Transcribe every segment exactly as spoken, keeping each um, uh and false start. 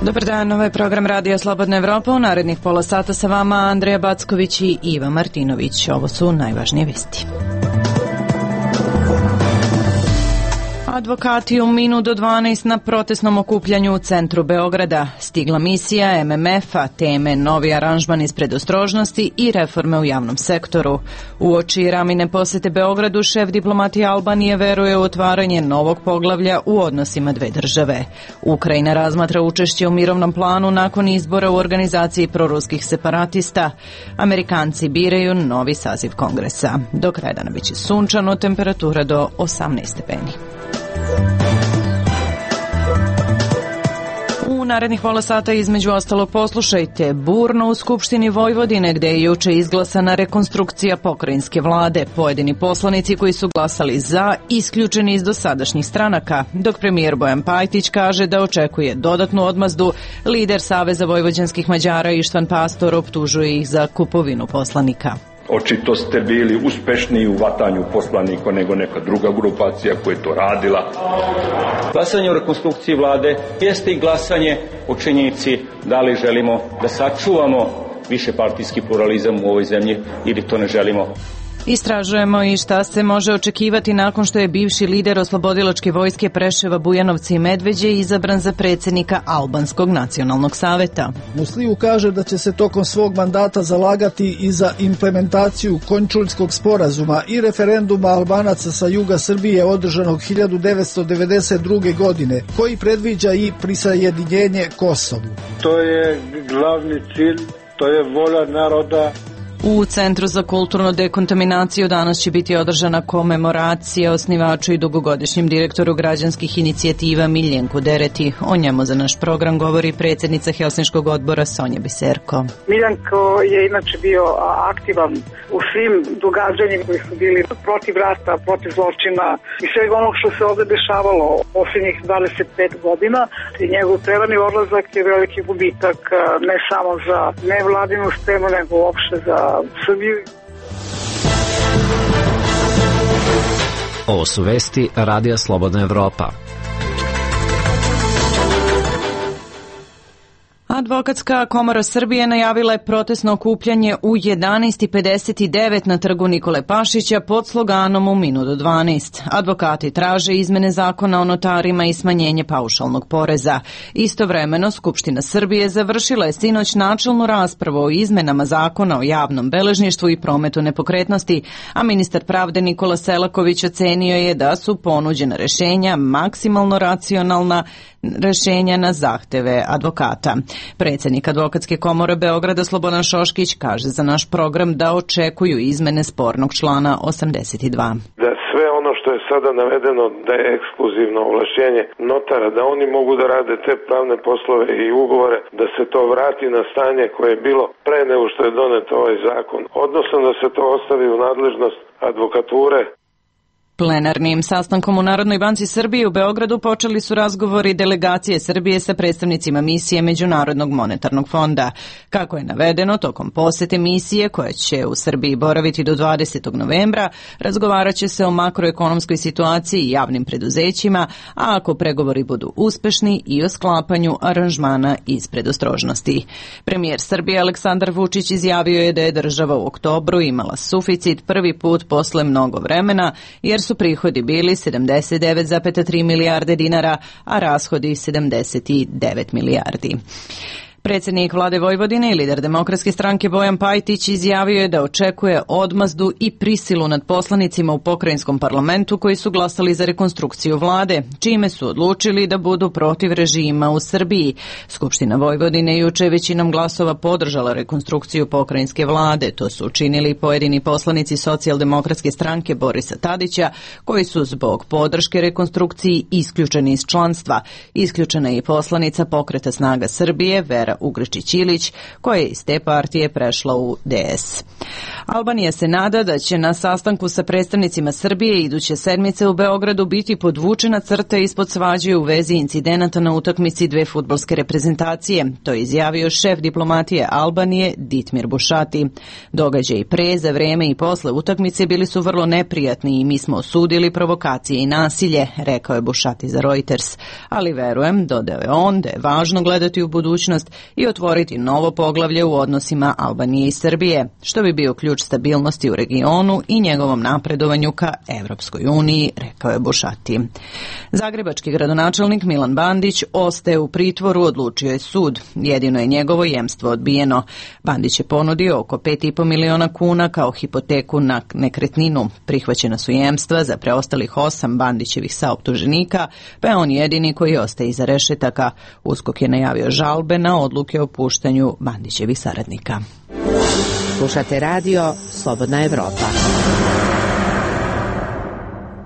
Dobar dan, ovo je program Radija Slobodna Evropa. U narednih pola sata sa vama Andreja Backović i Iva Martinović. Ovo su najvažnije vesti. Advokati u minut do dvanaest na protestnom okupljanju u centru Beograda. Stigla misija M M F-a, teme novi aranžman iz predostrožnosti i reforme u javnom sektoru. Uoči Ramine posete Beogradu, šef diplomatije Albanije veruje u otvaranje novog poglavlja u odnosima dve države. Ukrajina razmatra učešće u mirovnom planu nakon izbora u organizaciji proruskih separatista. Amerikanci biraju novi saziv kongresa. Do kraja dana biće sunčano, temperatura do osamnaest stepeni. U narednih pola sata između ostalog poslušajte burno u Skupštini Vojvodine gde je juče izglasana rekonstrukcija pokrajinske vlade. Pojedini poslanici koji su glasali za isključeni iz dosadašnjih stranaka, dok premijer Bojan Pajtić kaže da očekuje dodatnu odmazdu. Lider Saveza vojvođanskih Mađara Ištvan Pastor optužuje ih za kupovinu poslanika. Očito ste bili uspešniji u vatanju poslanika nego neka druga grupacija koja je to radila. Glasanje o rekonstrukciji vlade jeste i glasanje o činjenici da li želimo da sačuvamo višepartijski pluralizam u ovoj zemlji ili to ne želimo. Istražujemo i šta se može očekivati nakon što je bivši lider oslobodilačke vojske Preševa, Bujanovca i Medveđe izabran za predsjednika Albanskog nacionalnog saveta. Musliju kaže da će se tokom svog mandata zalagati i za implementaciju Končuljskog sporazuma i referenduma Albanaca sa juga Srbije održanog hiljadu devetsto devedeset druge. godine, koji predviđa i prisajedinjenje Kosovu. To je glavni cilj, to je volja naroda. U Centru za kulturnu dekontaminaciju danas će biti održana komemoracija osnivaču i dugogodišnjem direktoru građanskih inicijativa Miljenku Dereti. O njemu za naš program govori predsjednica Helsinškog odbora Sonja Biserko. Miljenko je inače bio aktivan u svim događanjima koji su bili protiv rata, protiv zločina i svega onog što se ovdje dešavalo posljednjih dvadeset pet godina. I njegov prerani odlazak je veliki gubitak ne samo za nevladinu scenu, nego uopšte za Srbiju. Ovo su vesti Radija Slobodna Evropa. Advokatska komora Srbije najavila je protestno okupljanje u jedanaest i pedeset devet na trgu Nikole Pašića pod sloganom u minut do dvanaest. Advokati traže izmene zakona o notarima i smanjenje paušalnog poreza. Istovremeno, Skupština Srbije završila je sinoć načelnu raspravu o izmenama zakona o javnom beležništvu i prometu nepokretnosti, a ministar pravde Nikola Selaković ocenio je da su ponuđena rešenja maksimalno racionalna rešenja na zahteve advokata. Predsjednik Advokatske komore Beograda Slobodan Šoškić kaže za naš program da očekuju izmene spornog člana osamdeset dva. Da sve ono što je sada navedeno da je ekskluzivno ovlašćenje notara, da oni mogu da rade te pravne poslove i ugovore, da se to vrati na stanje koje je bilo pre nego što je donet ovaj zakon, odnosno da se to ostavi u nadležnost advokature. Plenarnim sastankom u Narodnoj banci Srbije u Beogradu počeli su razgovori delegacije Srbije sa predstavnicima misije Međunarodnog monetarnog fonda. Kako je navedeno, tokom posete misije koja će u Srbiji boraviti do dvadesetog novembra, razgovarat će se o makroekonomskoj situaciji i javnim preduzećima, a ako pregovori budu uspešni i o sklapanju aranžmana iz predostrožnosti. Premijer Srbije Aleksandar Vučić izjavio je da je država u oktobru imala suficit prvi put posle mnogo vremena, jer su prihodi bili sedamdeset devet zarez tri milijarde dinara, a rashodi sedamdeset devet milijardi. Predsjednik vlade Vojvodine i lider Demokratske stranke Bojan Pajtić izjavio je da očekuje odmazdu i prisilu nad poslanicima u pokrajinskom parlamentu koji su glasali za rekonstrukciju vlade, čime su odlučili da budu protiv režima u Srbiji. Skupština Vojvodine juče većinom glasova podržala rekonstrukciju pokrajinske vlade. To su učinili pojedini poslanici Socijaldemokratske stranke Borisa Tadića, koji su zbog podrške rekonstrukciji isključeni iz članstva. Isključena je i poslanica Pokreta snaga Srbije Vera Vera Ugričić-Ilić, koja je iz te partije prešla u D S. Albanija se nada da će na sastanku sa predstavnicima Srbije iduće sedmice u Beogradu biti podvučena crta ispod svađe u vezi incidenata na utakmici dve fudbalske reprezentacije. To je izjavio šef diplomatije Albanije Ditmir Bušati. Događaji pre, za vreme i posle utakmice bili su vrlo neprijatni i mi smo osudili provokacije i nasilje, rekao je Bušati za Reuters. Ali verujem, dodao je on, da je važno gledati u budućnost i otvoriti novo poglavlje u odnosima Albanije i Srbije, što bi bio ključ stabilnosti u regionu i njegovom napredovanju ka Evropskoj uniji, rekao je Bušati. Zagrebački gradonačelnik Milan Bandić ostaje u pritvoru, odlučio je sud. Jedino je njegovo jemstvo odbijeno. Bandić je ponudio oko pet i po miliona kuna kao hipoteku na nekretninu. Prihvaćena su jemstva za preostalih osam Bandićevih saoptuženika, pa je on jedini koji ostaje iza rešetaka. USKOK je najavio žalbe na odluke o puštanju Bandićevih saradnika. Slušate radio Slobodna Evropa.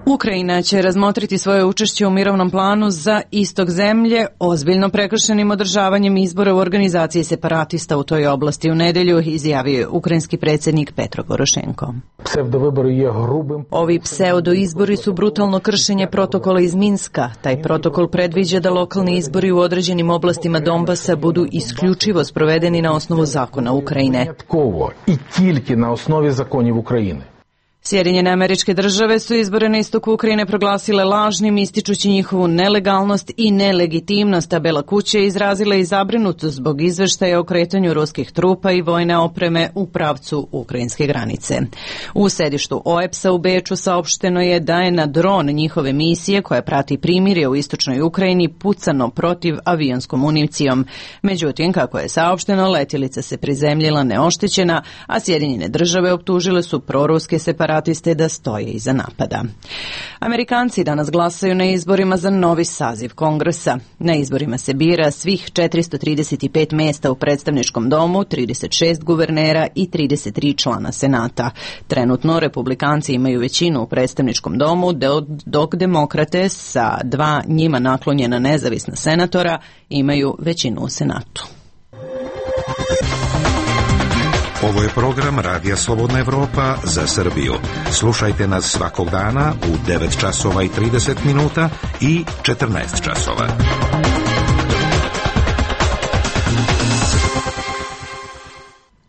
Ukrajina će razmotriti svoje učešće u mirovnom planu za istok zemlje ozbiljno prekršenim održavanjem izbora u organizaciji separatista u toj oblasti u nedelju, izjavio je ukrajinski predsjednik Petro Porošenko. Ovi pseudo-izbori su brutalno kršenje protokola iz Minska. Taj protokol predviđa da lokalni izbori u određenim oblastima Donbasa budu isključivo sprovedeni na osnovu zakona Ukrajine. I тільки на основі законів України. Sjedinjene Američke Države su izbore na istoku Ukrajine proglasile lažnim, ističući njihovu nelegalnost i nelegitimnost, a Bela kuća je izrazila i zabrinutost zbog izveštaja o kretanju ruskih trupa i vojne opreme u pravcu ukrajinske granice. U sedištu O E P S-a u Beču saopšteno je da je na dron njihove misije, koja prati primirje u istočnoj Ukrajini, pucano protiv avionskom municijom. Međutim, kako je saopšteno, letjelica se prizemljila neoštećena, a Sjedinjene Države optužile su proruske separatiste da stoje iza napada. Amerikanci danas glasaju na izborima za novi saziv Kongresa. Na izborima se bira svih četiristo trideset pet mesta u predstavničkom domu, trideset šest guvernera i trideset tri člana Senata. Trenutno republikanci imaju većinu u predstavničkom domu, dok demokrate sa dva njima naklonjena nezavisna senatora imaju većinu u Senatu. Ovo je program Radija Slobodna Evropa za Srbiju. Slušajte nas svakog dana u devet časova i trideset minuta i četrnaest časova.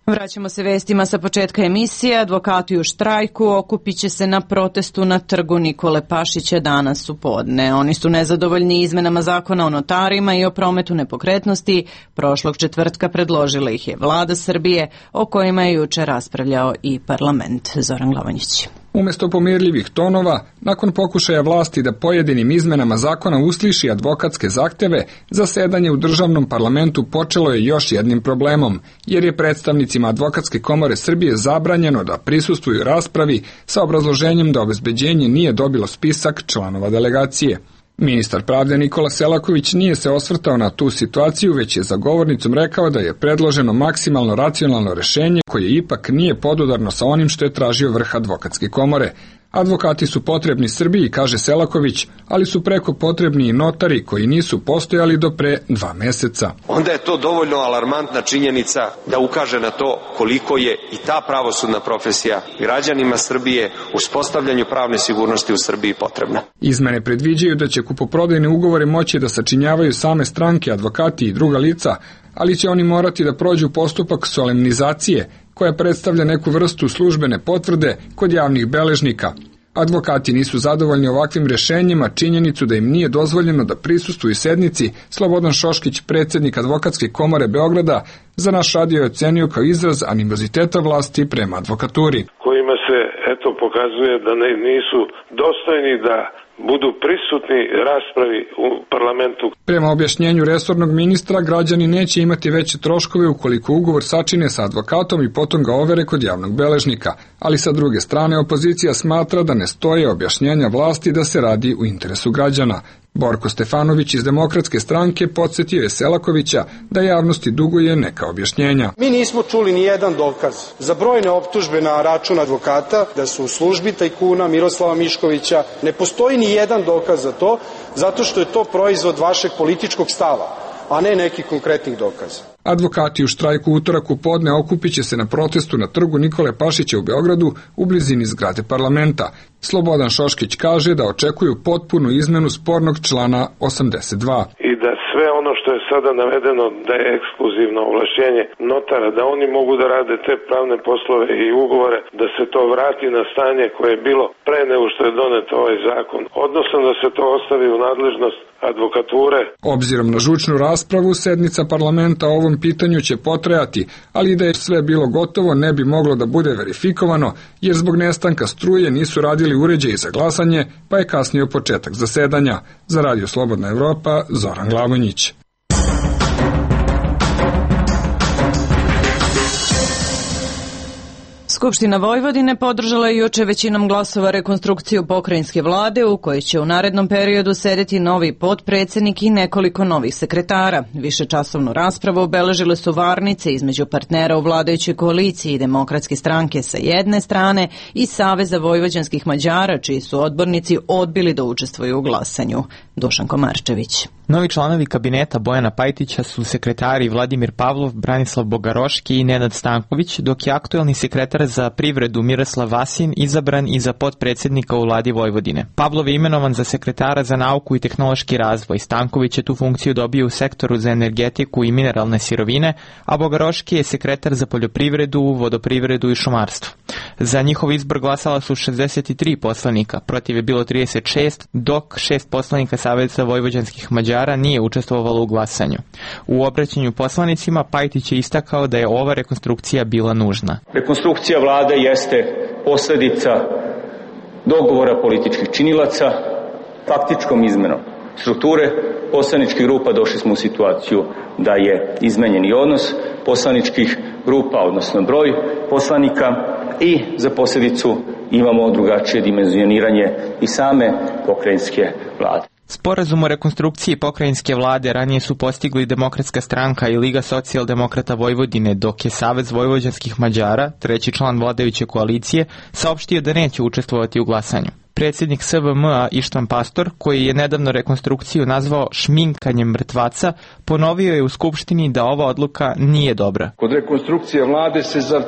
Vraćamo se vestima sa početka emisije. Advokati u štrajku okupit će se na protestu na trgu Nikole Pašića danas u podne. Oni su nezadovoljni izmenama zakona o notarima i o prometu nepokretnosti. Prošlog četvrtka predložila ih je vlada Srbije, o kojima je juče raspravljao i parlament. Zoran Glavonjić. Umesto pomirljivih tonova, nakon pokušaja vlasti da pojedinim izmenama zakona usliši advokatske zahteve, zasedanje u državnom parlamentu počelo je još jednim problemom, jer je predstavnicima Advokatske komore Srbije zabranjeno da prisustvuju raspravi sa obrazloženjem da obezbeđenje nije dobilo spisak članova delegacije. Ministar pravde Nikola Selaković nije se osvrtao na tu situaciju, već je za govornicom rekao da je predloženo maksimalno racionalno rešenje koje ipak nije podudarno sa onim što je tražio vrh Advokatske komore. Advokati su potrebni Srbiji, kaže Selaković, ali su preko potrebni i notari koji nisu postojali do pre dva meseca. Onda je to dovoljno alarmantna činjenica da ukaže na to koliko je i ta pravosudna profesija građanima Srbije u uspostavljanju pravne sigurnosti u Srbiji potrebna. Izmene predviđaju da će kupoprodajne ugovore moći da sačinjavaju same stranke, advokati i druga lica, ali će oni morati da prođu postupak solemnizacije, koja predstavlja neku vrstu službene potvrde kod javnih beležnika. Advokati nisu zadovoljni ovakvim rešenjima, činjenicu da im nije dozvoljeno da prisustvuju sednici. Slobodan Šoškić, predsjednik Advokatske komore Beograda, za naš radio je ocenio kao izraz animoziteta vlasti prema advokaturi. Kojima se, eto, pokazuje da ne, nisu dostojni da budu prisutni raspravi u parlamentu. Prema objašnjenju resornog ministra, građani neće imati veće troškove ukoliko ugovor sačine sa advokatom i potom ga overe kod javnog beležnika, ali sa druge strane opozicija smatra da ne stoje objašnjenja vlasti da se radi u interesu građana. Borko Stefanović iz Demokratske stranke podsjetio je Selakovića da javnosti duguje neka objašnjenja. Mi nismo čuli ni jedan dokaz za brojne optužbe na račun advokata da su u službi tajkuna Miroslava Miškovića. Ne postoji ni jedan dokaz za to, zato što je to proizvod vašeg političkog stava. a ne nekih konkretnih dokaza. Advokati u štrajku utorak u podne okupit će se na protestu na trgu Nikole Pašića u Beogradu u blizini zgrade parlamenta. Slobodan Šoškić kaže da očekuju potpunu izmenu spornog člana osamdeset dva. I da sve ono što je sada navedeno da je ekskluzivno ovlašćenje notara, da oni mogu da rade te pravne poslove i ugovore, da se to vrati na stanje koje je bilo pre nego što je donet ovaj zakon, odnosno da se to ostavi u nadležnost advokature. Obzirom na žučnu raspravu, sednica parlamenta o ovom pitanju će potrajati, ali da je sve bilo gotovo ne bi moglo da bude verifikovano, jer zbog nestanka struje nisu radili uređaji za glasanje, pa je kasnio početak zasedanja. Za Radio Slobodna Evropa, Zoran Glavonjić. Skupština Vojvodine podržala je juče većinom glasova rekonstrukciju pokrajinske vlade u kojoj će u narednom periodu sedeti novi potpredsjednik i nekoliko novih sekretara. Višečasovnu raspravu obeležile su varnice između partnera u vladajućoj koaliciji i Demokratske stranke sa jedne strane i Saveza vojvođanskih Mađara, čiji su odbornici odbili da učestvuju u glasanju. Dušan Komarčević. Novi članovi kabineta Bojana Pajtića su sekretari Vladimir Pavlov, Branislav Bogaroški i Nenad Stanković, dok je aktuelni sekretar za privredu Miroslav Vasin izabran i za potpredsjednika u vladi Vojvodine. Pavlov je imenovan za sekretara za nauku i tehnološki razvoj. Stanković je tu funkciju dobio u sektoru za energetiku i mineralne sirovine, a Bogaroški je sekretar za poljoprivredu, vodoprivredu i šumarstvo. Za njihov izbor glasala su šezdeset tri poslanika, protiv je bilo trideset šest, dok šest poslanika Saveza vojvođanskih Mađara nije učestvovalo u glasanju. U obraćanju poslanicima Pajtić je istakao da je ova rekonstrukcija bila nužna. Rekonstrukcija vlade jeste posljedica dogovora političkih činilaca, faktičkom izmenom strukture poslaničkih grupa. Došli smo u situaciju da je izmenjeni odnos poslaničkih grupa, odnosno broj poslanika, i za posljedicu imamo drugačije dimenzioniranje i same pokrajinske vlade. Sporazum o rekonstrukciji pokrajinske vlade ranije su postigli Demokratska stranka i Liga socijaldemokrata Vojvodine, dok je Savez vojvođanskih Mađara, treći član vladajuće koalicije, saopštio da neće učestvovati u glasanju. Predsjednik S V M-a Ištvan Pastor, koji je nedavno rekonstrukciju nazvao šminkanjem mrtvaca, ponovio je u Skupštini da ova odluka nije dobra. Kod rekonstrukcije vlade se za,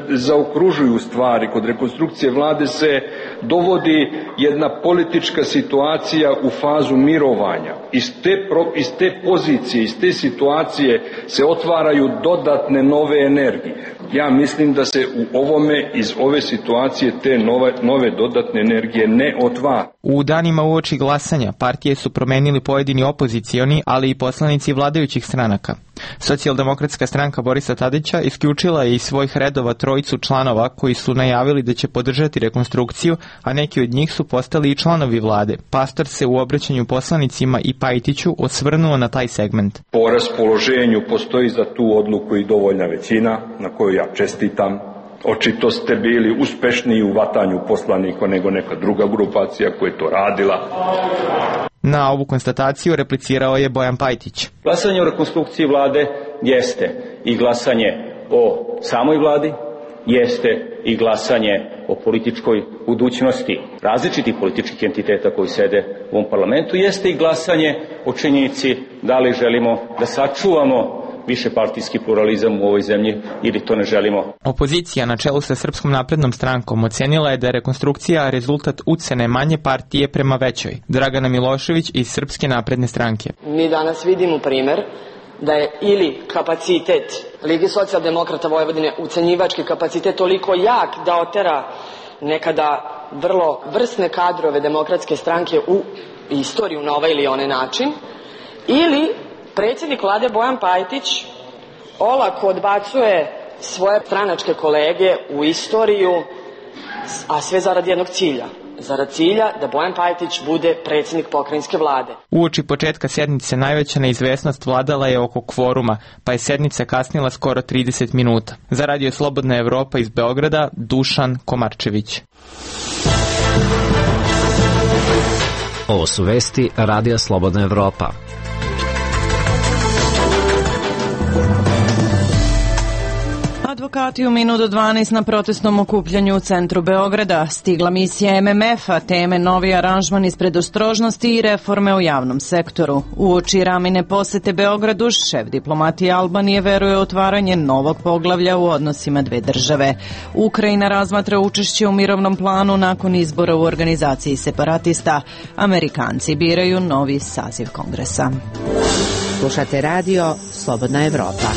zaokružuju stvari, kod rekonstrukcije vlade se dovodi jedna politička situacija u fazu mirovanja. Iz te, iz te pozicije, iz te situacije se otvaraju dodatne nove energije. Ja mislim da se u ovome, iz ove situacije, te nove, nove dodatne energije ne otvara. U danima uoči glasanja partije su promenili pojedini opozicioni, ali i poslanici vladajućih stranaka. Socijaldemokratska stranka Borisa Tadića isključila je iz svojih redova trojicu članova koji su najavili da će podržati rekonstrukciju, a neki od njih su postali i članovi vlade. Pastor se u obraćanju poslanicima i Pajtiću osvrnuo na taj segment. Po raspoloženju postoji za tu odluku i dovoljna većina, na koju ja čestitam. Očito ste bili uspešniji u vatanju poslanika nego neka druga grupacija koja je to radila. Na ovu konstataciju replicirao je Bojan Pajtić. Glasanje o rekonstrukciji vlade jeste i glasanje o samoj vladi, jeste i glasanje o političkoj budućnosti različitih političkih entiteta koji sede u ovom parlamentu, jeste i glasanje o činjenici da li želimo da sačuvamo višepartijski pluralizam u ovoj zemlji ili to ne želimo. Opozicija na čelu sa Srpskom naprednom strankom ocenila je da je rekonstrukcija rezultat ucene manje partije prema većoj. Dragana Milošević iz Srpske napredne stranke. Mi danas vidimo primer da je ili kapacitet Lige socijaldemokrata Vojvodine, ucenjivački kapacitet, toliko jak da otera nekada vrlo vrsne kadrove Demokratske stranke u istoriju na ovaj ili onaj način, ili predsjednik vlade Bojan Pajtić olako odbacuje svoje stranačke kolege u istoriju, a sve zarad jednog cilja. Zarad cilja da Bojan Pajtić bude predsjednik pokrajinske vlade. Uoči početka sednice najveća neizvesnost vladala je oko kvoruma, pa je sednica kasnila skoro trideset minuta. Za Radio Slobodna Evropa iz Beograda, Dušan Komarčević. Ovo su vesti Radija Slobodna Evropa. plakati u minut do dvanaest na protestnom okupljanju u centru Beograda. Stigla misija M M F-a, teme novi aranžman iz predostrožnosti i reforme u javnom sektoru. Uoči Ramine posete Beogradu, šef diplomatije Albanije veruje u otvaranje novog poglavlja u odnosima dve države. Ukrajina razmatra učešće u mirovnom planu nakon izbora u organizaciji separatista. Amerikanci biraju novi saziv kongresa. Slušate radio Slobodna Evropa.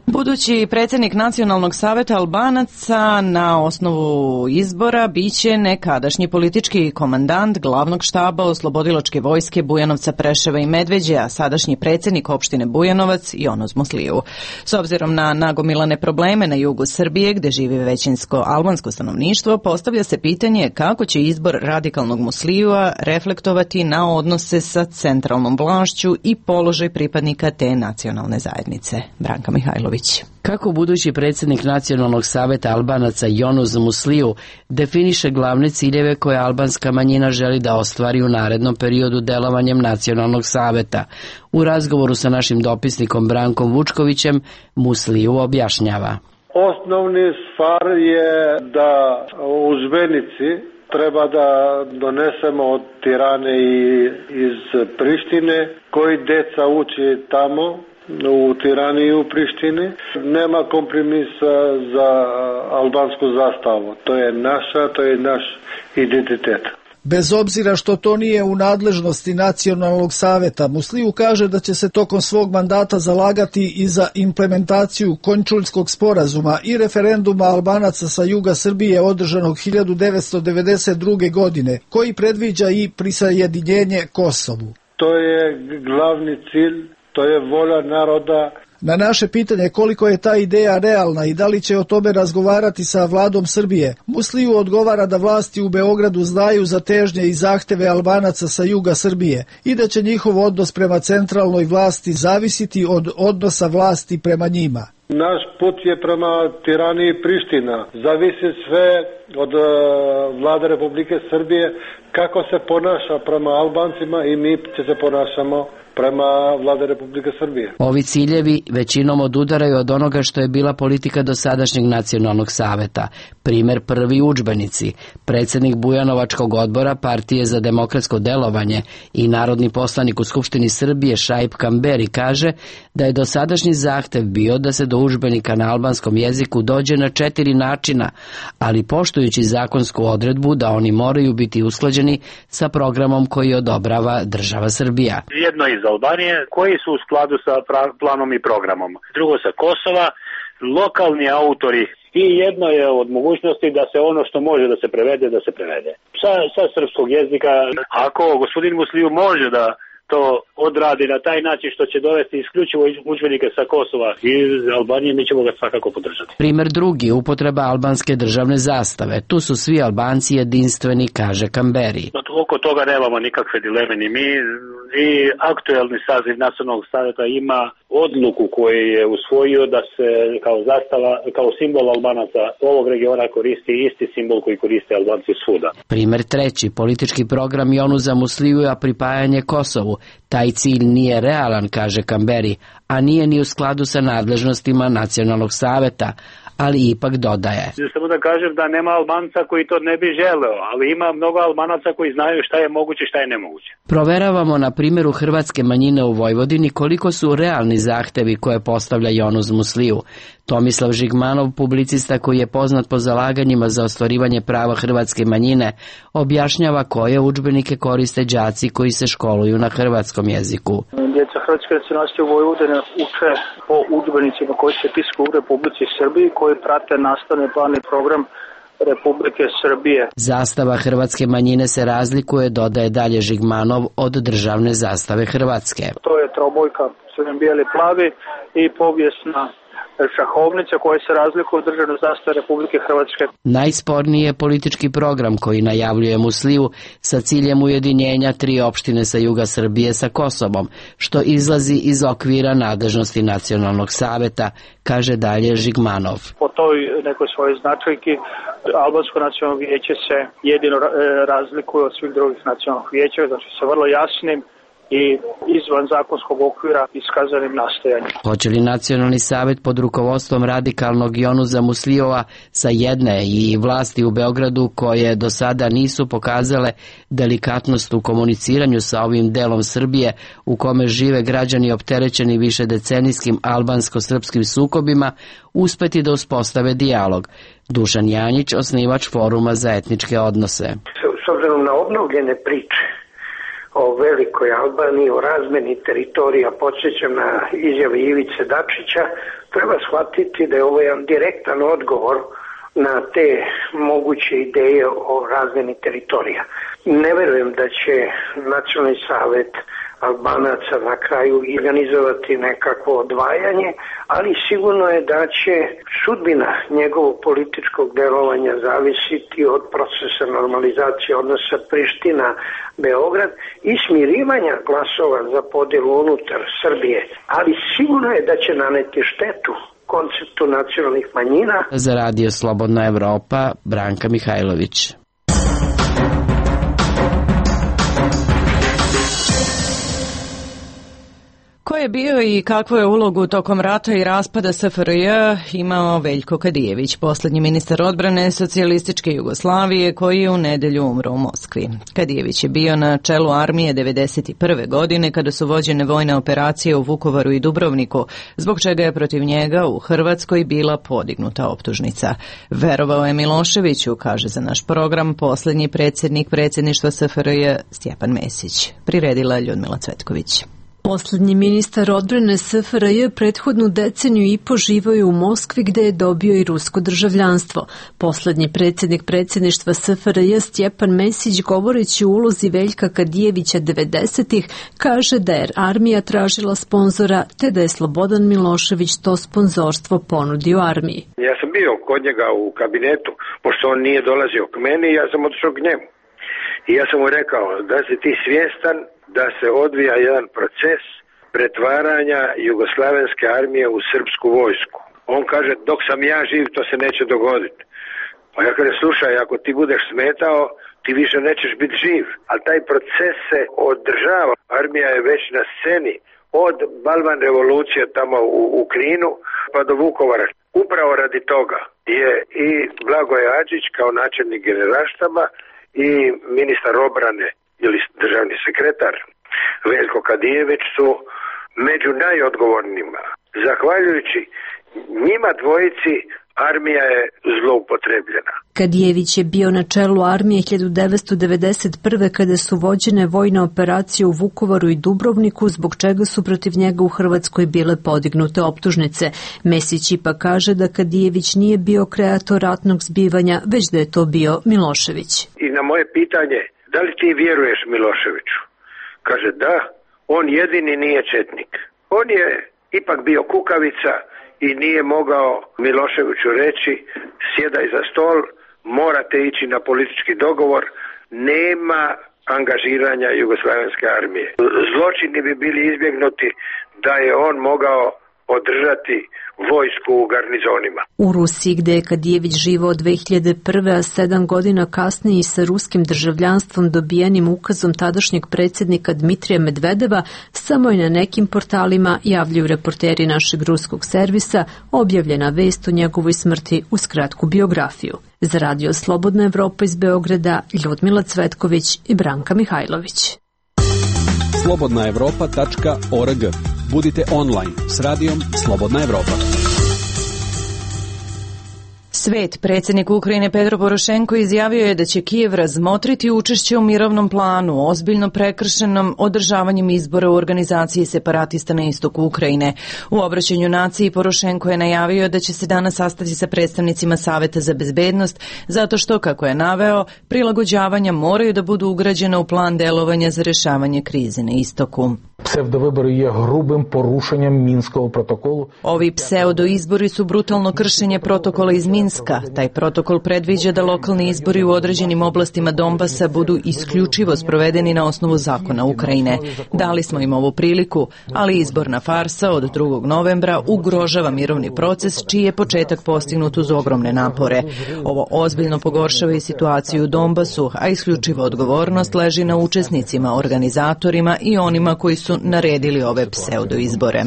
Budući predsjednik Nacionalnog saveta Albanaca na osnovu izbora biće nekadašnji politički komandant glavnog štaba Oslobodilačke vojske Bujanovca, Preševa i Medveđe, a sadašnji predsjednik opštine Bujanovac Jonuz Musliju. S obzirom na nagomilane probleme na jugu Srbije, gde živi većinsko albansko stanovništvo, postavlja se pitanje kako će izbor radikalnog Muslijua reflektovati na odnose sa centralnom vlašću i položaj pripadnika te nacionalne zajednice. Branka Mihajlović. Kako budući predsjednik Nacionalnog saveta Albanaca Jonuz Musliju definiše glavne ciljeve koje albanska manjina želi da ostvari u narednom periodu delovanjem Nacionalnog saveta? U razgovoru sa našim dopisnikom Brankom Vučkovićem Musliju objašnjava. Osnovni stvar je da u Zvenici treba da donesemo od Tirane i iz Prištine, koji deca uči tamo, u Tirani i u Prištini. Nema kompromisa za albansku zastavu. To je naša, to je naš identitet. Bez obzira što to nije u nadležnosti Nacionalnog saveta, Musliju kaže da će se tokom svog mandata zalagati i za implementaciju Končuljskog sporazuma i referenduma Albanaca sa juga Srbije održanog hiljadu devetsto devedeset druge. godine, koji predviđa i prisajedinjenje Kosovu. To je glavni cilj. To je volja naroda. Na naše pitanje koliko je ta ideja realna i da li će o tome razgovarati sa vladom Srbije, Musliju odgovara da vlasti u Beogradu znaju za težnje i zahteve Albanaca sa juga Srbije i da će njihov odnos prema centralnoj vlasti zavisiti od odnosa vlasti prema njima. Naš put je prema Tirani i Priština. Zavisi sve od uh, vlade Republike Srbije kako se ponaša prema Albancima i mi će se ponašamo prema vlade Republike Srbije. Ovi ciljevi većinom odudaraju od onoga što je bila politika dosadašnjeg Nacionalnog saveta. Primer prvi udžbenici. Predsjednik Bujanovačkog odbora Partije za demokratsko delovanje i narodni poslanik u Skupštini Srbije Šaip Kamberi kaže da je dosadašnji zahtev bio da se do udžbenika na albanskom jeziku dođe na četiri načina, ali poštujući zakonsku odredbu da oni moraju biti usklađeni sa programom koji odobrava država Srbija. Jedno iz Albanije, koji su u skladu sa planom i programom. Drugo sa Kosova, lokalni autori. I jedno je od mogućnosti da se ono što može da se prevede, da se prevede. Sa, sa srpskog jezika, ako gospodin Musliju može da to odradi na taj način što će dovesti isključivo udžbenike sa Kosova i iz Albanije, mi ćemo ga svakako podržati. Primer drugi, upotreba albanske državne zastave. Tu su svi Albanci jedinstveni, kaže Kamberi. Oko toga nemamo nikakve dileme ni mi. I aktuelni saziv Nacionalnog saveta ima odluku koju je usvojio da se kao zastava, kao simbol Albanaca ovog regiona koristi isti simbol koji koriste Albanci svuda. Primer treći, politički program Jonuza Muslija pripajanje Kosovu. Taj cilj nije realan, kaže Kamberi, a nije ni u skladu sa nadležnostima Nacionalnog saveta, ali ipak dodaje. Samo da kažem da nema Albanca koji to ne bi želeo, ali ima mnogo Albanaca koji znaju šta je moguće, šta je nemoguće. Proveravamo na primjeru hrvatske manjine u Vojvodini koliko su realni zahtevi koje postavlja Jonuz Musliju. Tomislav Žigmanov, publicista koji je poznat po zalaganjima za ostvarivanje prava hrvatske manjine, objašnjava koje udžbenike koriste đaci koji se školuju na hrvatskom jeziku. Djeca hrvatske nacionalnosti u Vojvodini uče po udžbenicima koji se pisku u Republici Srbiji, koji prate nastavni plan i program Republike Srbije. Zastava hrvatske manjine se razlikuje, dodaje dalje Žigmanov, od državne zastave Hrvatske. To je trobojka crven, bijeli, plavi i povijesna šahovnica koja se razlikuje od državne zastave Republike Hrvatske. Najsporniji je politički program koji najavljuje Musliju sa ciljem ujedinjenja tri opštine sa juga Srbije sa Kosovom, što izlazi iz okvira nadležnosti Nacionalnog saveta, kaže dalje Žigmanov. Po toj nekoj svojoj značajki Albansko nacionalno vijeće se jedino razlikuje od svih drugih nacionalnih vijeća, znači sa vrlo jasnim i izvan zakonskog okvira iskazanim nastojanjem. Hoće li Nacionalni savet pod rukovodstvom radikalnog Jonusa Muslijova sa jedne i vlasti u Beogradu koje do sada nisu pokazale delikatnost u komuniciranju sa ovim delom Srbije u kome žive građani opterećeni višedecenijskim albansko-srpskim sukobima uspeti da uspostave dijalog? Dušan Janjić, osnivač Foruma za etničke odnose. S obzirom na obnovljene priče o velikoj Albaniji, o razmeni teritorija, podsjećam na izjave Ivice Dačića, treba shvatiti da je ovo jedan direktan odgovor na te moguće ideje o razmeni teritorija. Ne verujem da će Nacionalni savet Albanaca na kraju organizovati nekakvo odvajanje, ali sigurno je da će sudbina njegovog političkog delovanja zavisiti od procesa normalizacije odnosa Priština-Beograd i smirivanja glasova za podelu unutar Srbije, ali sigurno je da će naneti štetu konceptu nacionalnih manjina. Za Radio Slobodna Evropa, Branka Mihajlović. Ko je bio i kakvu je ulogu tokom rata i raspada S F R J imao Veljko Kadijević, poslednji ministar odbrane socijalističke Jugoslavije koji je u nedelju umro u Moskvi. Kadijević je bio na čelu armije devedeset prve godine kada su vođene vojne operacije u Vukovaru i Dubrovniku, zbog čega je protiv njega u Hrvatskoj bila podignuta optužnica. Verovao je Miloševiću, kaže za naš program poslednji predsjednik predsjedništva S F R J Stjepan Mesić. Priredila Ljudmila Cvetković. Poslednji ministar odbrane S F R J prethodnu deceniju i po živao je u Moskvi gde je dobio i rusko državljanstvo. Poslednji predsjednik predsjedništva S F R J Stjepan Mesić, govoreći o ulozi Veljka Kadijevića devedesetih, kaže da je armija tražila sponzora te da je Slobodan Milošević to sponzorstvo ponudio armiji. Ja sam bio kod njega u kabinetu, pošto on nije dolazio k meni, ja sam otišao k njemu. I ja sam mu rekao da si ti svjestan da se odvija jedan proces pretvaranja jugoslavenske armije u srpsku vojsku. On kaže, dok sam ja živ, to se neće dogoditi. Pa ja kaže, slušaj, ako ti budeš smetao, ti više nećeš biti živ. Ali taj proces se održava. Armija je već na sceni od Balvan revolucije tamo u, u Kninu pa do Vukovara. Upravo radi toga je i Blagoje Adžić kao načelnik generalštaba i ministar obrane ili državni sekretar Veljko Kadijević su među najodgovornijima. Zahvaljujući njima dvojici armija je zloupotrebljena. Kadijević je bio na čelu armije hiljadu devetsto devedeset prve kada su vođene vojne operacije u Vukovaru i Dubrovniku, zbog čega su protiv njega u Hrvatskoj bile podignute optužnice. Mesić ipak kaže da Kadijević nije bio kreator ratnog zbivanja, već da je to bio Milošević. I na moje pitanje, da li ti vjeruješ Miloševiću? Kaže da, on jedini nije četnik. On je ipak bio kukavica i nije mogao Miloševiću reći sjedaj za stol, morate ići na politički dogovor, nema angažiranja jugoslavenske armije. Zločini bi bili izbjegnuti da je on mogao održati vojsku u garnizonima. U Rusiji, gde je Kadijević živao dve hiljade prve, a sedam godina kasnije i sa ruskim državljanstvom dobijenim ukazom tadašnjeg predsjednika Dmitrija Medvedeva, samo je na nekim portalima, javljaju reporteri našeg ruskog servisa, objavljena vest o njegovoj smrti uz kratku biografiju. Za Radio Slobodna Evropa iz Beograda, Ljudmila Cvetković i Branka Mihajlović. slobodna evropa tačka org. Budite online s radijom Slobodna Evropa. Svet, predsjednik Ukrajine Petro Porošenko izjavio je da će Kijev razmotriti učešće u mirovnom planu, ozbiljno prekršenom održavanjem izbora u organizaciji separatista na istoku Ukrajine. U obraćanju naciji Porošenko je najavio da će se danas sastati sa predstavnicima Saveta za bezbednost, zato što, kako je naveo, prilagođavanja moraju da budu ugrađena u plan delovanja za rešavanje krize na istoku. Psevdovibori je grubim porušenjem Minskog protokolu. Ovi pseudoizbori su brutalno kršenje protokola iz Minska. Taj protokol predviđa da lokalni izbori u određenim oblastima Donbasa budu isključivo sprovedeni na osnovu zakona Ukrajine. Dali smo im ovu priliku, ali izborna farsa od drugog novembra ugrožava mirovni proces, čiji je početak postignut uz ogromne napore. Ovo ozbiljno pogoršava i situaciju u Donbasu, a isključiva odgovornost leži na učesnicima, organizatorima i onima koji su naredili ove pseudoizbore.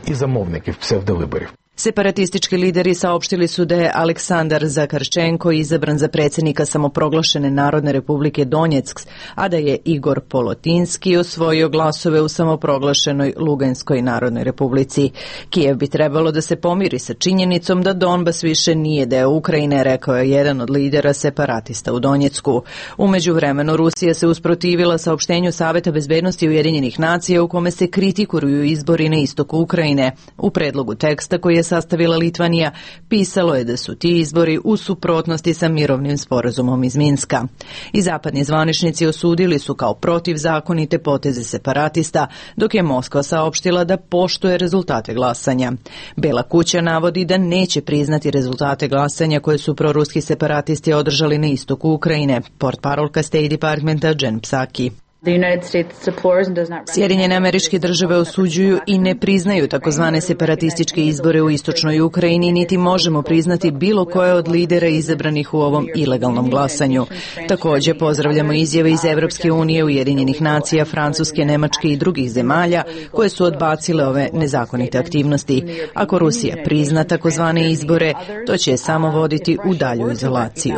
I zamovniki psevdovibori. Separatistički lideri saopštili su da je Aleksandar Zakarčenko izabran za predsjednika samoproglašene Narodne republike Donjeck, a da je Igor Polotinski osvojio glasove u samoproglašenoj Luganskoj Narodnoj republici. Kijev bi trebalo da se pomiri sa činjenicom da Donbas više nije deo Ukrajine, rekao je jedan od lidera separatista u Donjecku. U međuvremenu Rusija se usprotivila saopštenju Saveta bezbednosti Ujedinjenih nacija u kome se kritikuju izbori na istoku Ukrajine. U predlogu teksta koji je sastavila Litvanija, pisalo je da su ti izbori u suprotnosti sa mirovnim sporazumom iz Minska. I zapadni zvaničnici osudili su kao protivzakonite poteze separatista, dok je Moskva saopštila da poštuje rezultate glasanja. Bela kuća navodi da neće priznati rezultate glasanja koje su proruski separatisti održali na istoku Ukrajine, portparolka State Departmenta Jen Psaki. Sjedinjene Američke Države osuđuju i ne priznaju takozvane separatističke izbore u istočnoj Ukrajini, niti možemo priznati bilo koje od lidera izabranih u ovom ilegalnom glasanju. Također pozdravljamo izjave iz Evropske unije, Ujedinjenih nacija, Francuske, Nemačke i drugih zemalja koje su odbacile ove nezakonite aktivnosti. Ako Rusija prizna takozvane izbore, to će je samo voditi u dalju izolaciju.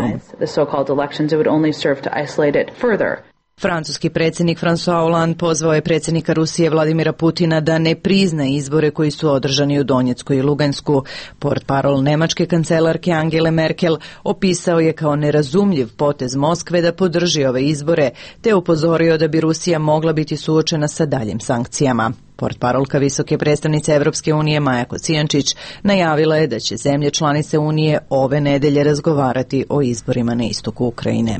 Francuski predsjednik François Hollande pozvao je predsjednika Rusije Vladimira Putina da ne prizna izbore koji su održani u Donjecku i Lugansku. Portparol nemačke kancelarke Angele Merkel opisao je kao nerazumljiv potez Moskve da podrži ove izbore, te upozorio da bi Rusija mogla biti suočena sa daljim sankcijama. Portparolka visoke predstavnice Evropske unije Maja Kocijančić najavila je da će zemlje članice Unije ove nedelje razgovarati o izborima na istoku Ukrajine.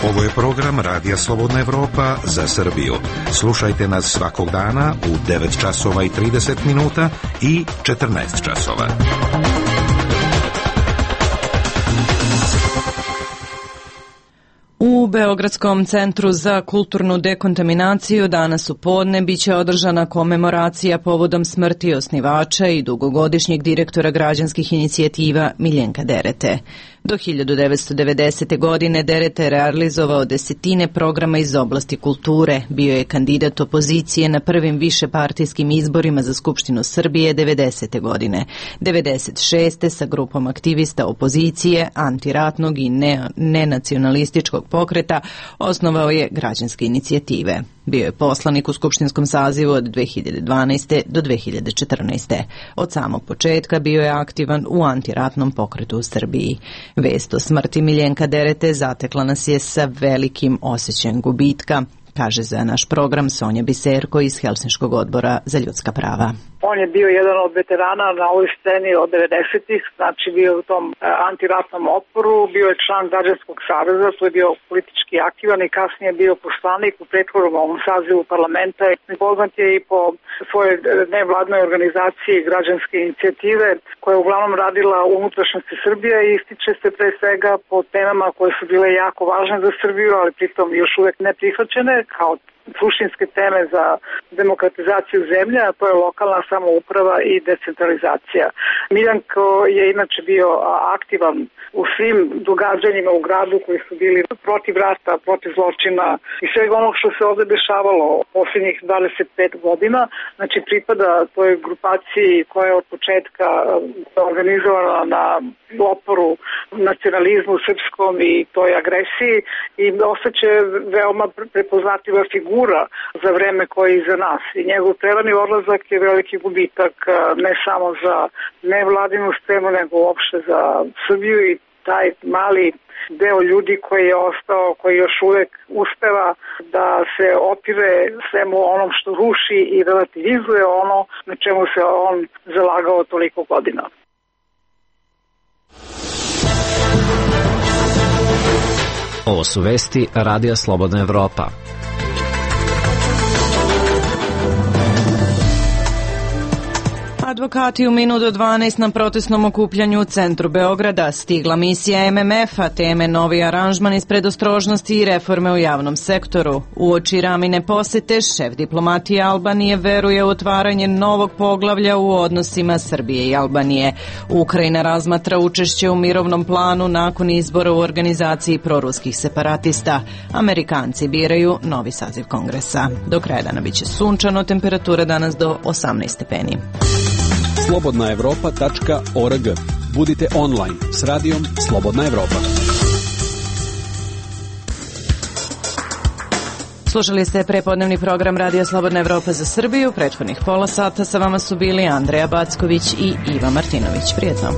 Ovo je program Radija Slobodna Evropa za Srbiju. Slušajte nas svakog dana u devet časova i trideset minuta i četrnaest časova. U Beogradskom centru za kulturnu dekontaminaciju danas u podne biće održana komemoracija povodom smrti osnivača i dugogodišnjeg direktora građanskih inicijativa Miljenka Derete. Do hiljadu devetsto devedesete. godine Dereta je realizovao desetine programa iz oblasti kulture. Bio je kandidat opozicije na prvim višepartijskim izborima za Skupštinu Srbije devedesete. godine. devedeset šeste. sa grupom aktivista opozicije, antiratnog i ne, nenacionalističkog pokreta osnovao je građanske inicijative. Bio je poslanik u skupštinskom sazivu od dve hiljade dvanaeste. do dve hiljade četrnaeste. Od samog početka bio je aktivan u antiratnom pokretu u Srbiji. Vest o smrti Miljenka Derete zatekla nas je sa velikim osjećajem gubitka, kaže za naš program Sonja Biserko iz Helsinškog odbora za ljudska prava. On je bio jedan od veterana na ovoj sceni od devedesetih, znači bio u tom antiratnom oporu, bio je član Građanskog saveza, to je bio politički aktivan i kasnije bio poslanik u prethodnom ovom sazivu parlamenta. Poznat je i po svojoj nevladnoj organizaciji građanske inicijative koja je uglavnom radila u unutrašnjosti Srbije i ističe se pre svega po temama koje su bile jako važne za Srbiju, ali pritom još uvek ne prihvaćene kao suštinske teme za demokratizaciju zemlje, a to je lokalna samouprava i decentralizacija. Miljanko je inače bio aktivan u svim događanjima u gradu koji su bili protiv rata, protiv zločina i svega onog što se ovde dešavalo posljednjih dvadeset pet godina. Znači pripada toj grupaciji koja je od početka organizovana na oporu nacionalizmu srpskom i toj agresiji i ostaće veoma prepoznatljiva figura za vreme koje je iza nas. I njegov prerani odlazak je veliki gubitak ne samo za nevladinu scenu, nego uopšte za Srbiju i taj mali deo ljudi koji je ostao, koji još uvek uspeva da se opire svemu onom što ruši i relativizuje ono na čemu se on zalagao toliko godina. Ovo su vesti Radija Slobodna Evropa. advokati u minut do dvanaest na protestnom okupljanju u centru Beograda. Stigla misija M M F-a, teme novi aranžman iz predostrožnosti i reforme u javnom sektoru. Uoči Ramine posete, šef diplomatije Albanije veruje u otvaranje novog poglavlja u odnosima Srbije i Albanije. Ukrajina razmatra učešće u mirovnom planu nakon izbora u organizaciji proruskih separatista. Amerikanci biraju novi saziv kongresa. Do kraja dana biće sunčano, temperatura danas do osamnaest stepeni. slobodna evropa tačka org. Budite online s radijom Slobodna Evropa. Slušali ste prepodnevni program Radija Slobodna Evropa za Srbiju. Prethodnih pola sata sa vama su bili Andreja Backović i Iva Martinović. Prijetno.